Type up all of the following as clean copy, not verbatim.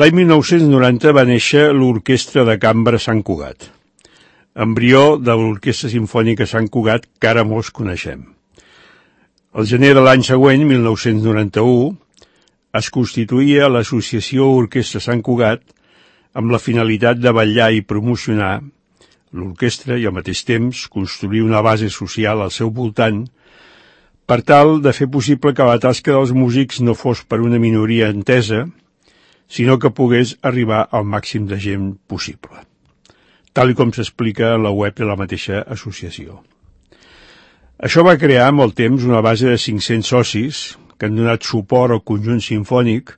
L'any 1990 va néixer l'Orquestra de Cambra Sant Cugat, embrió de l'Orquestra Simfònica Sant Cugat que ara molts coneixem. Al gener de l'any següent, 1991, es constituïa l'Associació Orquestra Sant Cugat amb la finalitat de vetllar i promocionar l'orquestra i al mateix temps construir una base social al seu voltant per tal de fer possible que la tasca dels músics no fos per una minoria entesa, sinó que pogués arribar al màxim de gent possible, tal com s'explica a la web de la mateixa associació. Això va crear amb el temps una base de 500 socis que han donat suport al conjunt simfònic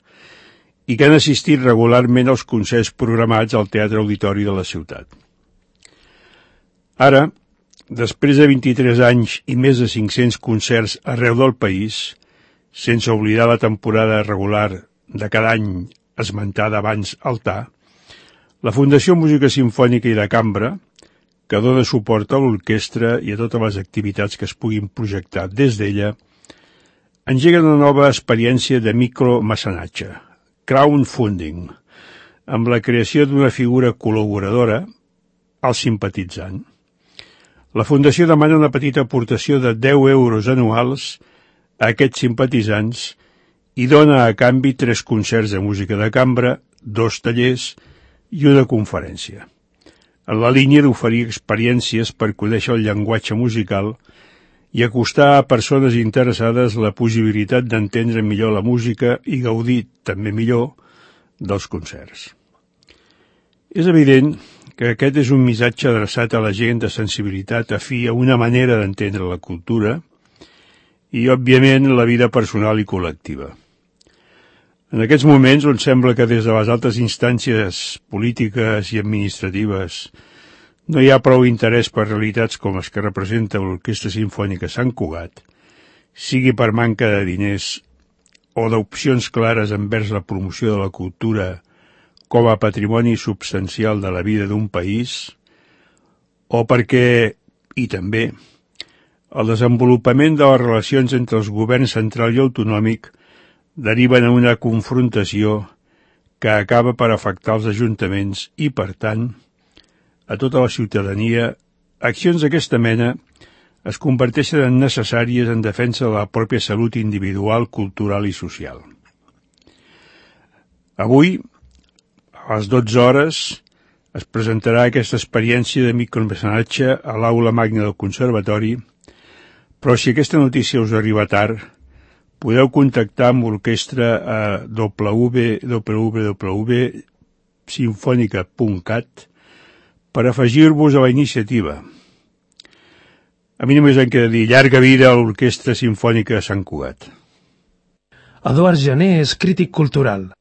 i que han assistit regularment als concerts programats al Teatre Auditori de la ciutat. Ara, després de 23 anys i més de 500 concerts arreu del país, sense oblidar la temporada regular de cada any esmentada abans altar, la Fundació Música Simfònica i de Cambra, que dona suport a l'orquestra i a totes les activitats que es puguin projectar des d'ella, engega una nova experiència de micromecenatge, crowdfunding, amb la creació d'una figura col·laboradora, el simpatitzant. La Fundació demana una petita aportació de 10 euros anuals a aquests simpatitzants i dona a canvi 3 concerts de música de cambra, 2 tallers i una conferència, en la línia d'oferir experiències per conèixer el llenguatge musical i acostar a persones interessades la possibilitat d'entendre millor la música i gaudir també millor dels concerts. És evident que aquest és un missatge adreçat a la gent de sensibilitat afí a una manera d'entendre la cultura i, òbviament, la vida personal i col·lectiva. En aquests moments on sembla que des de les altres instàncies polítiques i administratives no hi ha prou interès per realitats com les que representa l'Orquestra Simfònica Sant Cugat, sigui per manca de diners o d'opcions clares envers la promoció de la cultura com a patrimoni substancial de la vida d'un país, o perquè, i també, el desenvolupament de les relacions entre els governs central i autonòmic deriven en una confrontació que acaba per afectar els ajuntaments i, per tant, a tota la ciutadania, accions d'aquesta mena es converteixen en necessàries en defensa de la pròpia salut individual, cultural i social. Avui, a les 12 hores, es presentarà aquesta experiència de micromecenatge a l'Aula Magna del Conservatori, però si aquesta notícia us arriba tard, podeu contactar amb l'orquestra a www.sinfonica.cat per afegir-vos a la iniciativa. A mi només em queda dir llarga vida a l'Orquestra Simfònica de Sant Cugat. Eduard Jané és crític cultural.